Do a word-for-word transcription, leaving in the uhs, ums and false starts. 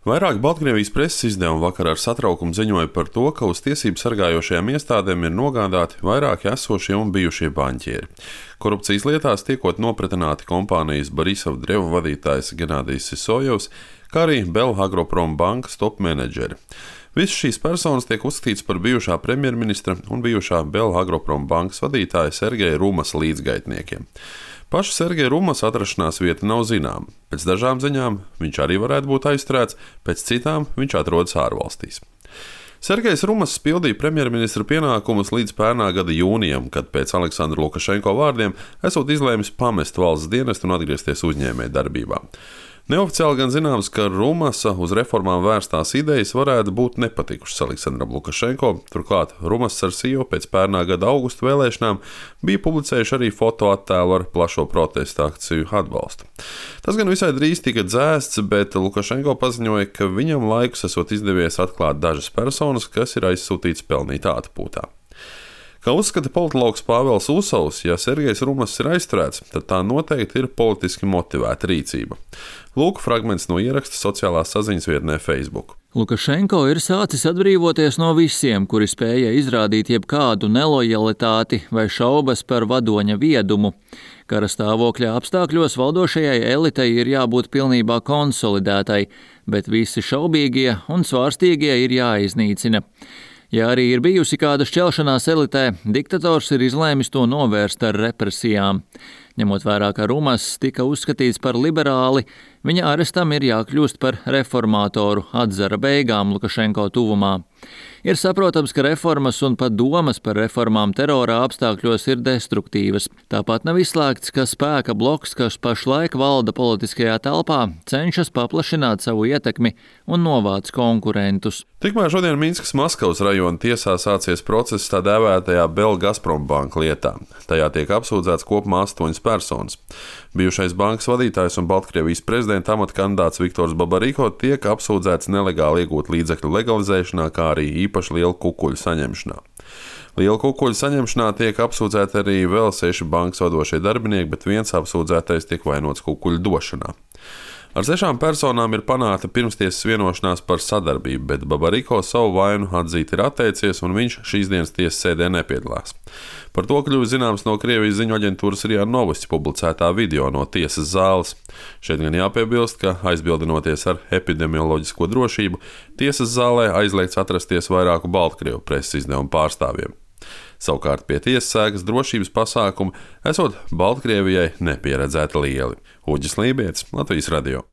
Vairāk Baltkrievijas preses izdevumi vakar ar satraukumu ziņoja par to, ka uz tiesību sargājošajām iestādēm ir nogādāti vairāki esošie un bijušie baņķieri. Korupcijas lietās tiekot nopratināti kompānijas Borisov Drevu vadītājs Genādijs Sisojevs, kā arī Belhagroprom bankas top menedžeri. Visas šīs personas tiek uzskatītas par bijušā premjerministra un bijušā Belhagroprom bankas vadītāja Sergeja Rumas līdzgaitniekiem. Paša Sergeja Rumas atrašanās vieta nav zināma. Pēc dažām ziņām viņš arī varētu būt aizturēts, pēc citām viņš atrodas ārvalstīs. Sergejs Rumas pildīja premjerministra pienākumus līdz pērnā gada jūnijam, kad pēc Aleksandra Lukašenko vārdiem esot izlēmis pamest valsts dienestu un atgriezties uzņēmējdarbībā. Neoficiāli gan zināms, ka Rumasa uz reformām vērstās idejas varētu būt nepatikušas Aleksandram Lukašenko, turklāt Rumas ar Siju pēc pērnā gada augusta vēlēšanām bija publicējuši arī fotoattēlu ar plašo protesta akciju atbalstu. Tas gan visai drīz tika dzēsts, bet Lukašenko paziņoja, ka viņam laikus esot izdevies atklāt dažas personas, kas ir aizsūtīts pelnīt atpūtā. Kā uzskata politologs Pāvels Usovs, ja Sergejs Rumas ir aizturēts, tad tā noteikti ir politiski motivēta rīcība. Lūk, fragments no ieraksta sociālās saziņas vietnē Facebook. Lukašenko ir sācis atbrīvoties no visiem, kuri spēja izrādīt jebkādu nelojalitāti vai šaubas par vadoņa viedumu. Kara stāvokļa apstākļos valdošajai elitei ir jābūt pilnībā konsolidētai, bet visi šaubīgie un svārstīgie ir jāiznīcina. Ja arī ir bijusi kāda šķelšanās elitē, diktators ir izlēmis to novērst ar represijām. Ņemot vērā, ka Rumas tika uzskatīts par liberāli, viņa arestam ir jākļūst par reformātoru atzara beigām Lukašenko tuvumā. Ir saprotams, ka reformas un pat domas par reformām terora apstākļos ir destruktīvas. Tāpat nav izslēgts, ka spēka bloks, kas pašlaik valda politiskajā telpā, cenšas paplašināt savu ietekmi un novāc konkurentus. Tikmēr šodien Minskas Maskavas rajona tiesā sācies process tā dēvētajā Belgazprom banka lietā. Tajā tiek apsūdzēts kopumā astoņas personas. Bijušais bankas vadītājs un Baltkrievijas prezidenta amata kandidāts Viktors Babariko tiek apsūdzēts nelegāli iegūt līdzekļu legalizēšanā, kā arī īpaši lielu kukuļu saņemšanā. Lielu kukuļu saņemšanā tiek apsūdzēti arī vēl seši bankas vadošie darbinieki, bet viens apsūdzētais tiek vainots kukuļu došanā. Ar sešām personām ir panākta pirmstiesas vienošanās par sadarbību, bet Babariko savu vainu atzīt ir atteicies un viņš šīs dienas tiesas sēdē nepiedalās. Par to kļuva zināms no Krievijas ziņu aģentūras RIA Novosti publicētā video no tiesas zāles. Šeit gan jāpiebilst, ka aizbildinoties ar epidemioloģisko drošību, tiesas zālē aizliegts atrasties vairāku Baltkrievu preses izdevumu pārstāvjiem. Savukārt pie tiesas sēgas drošības pasākumu esot Baltkrievijai nepieredzēti lieli. Uģis Lībietis, Latvijas radio.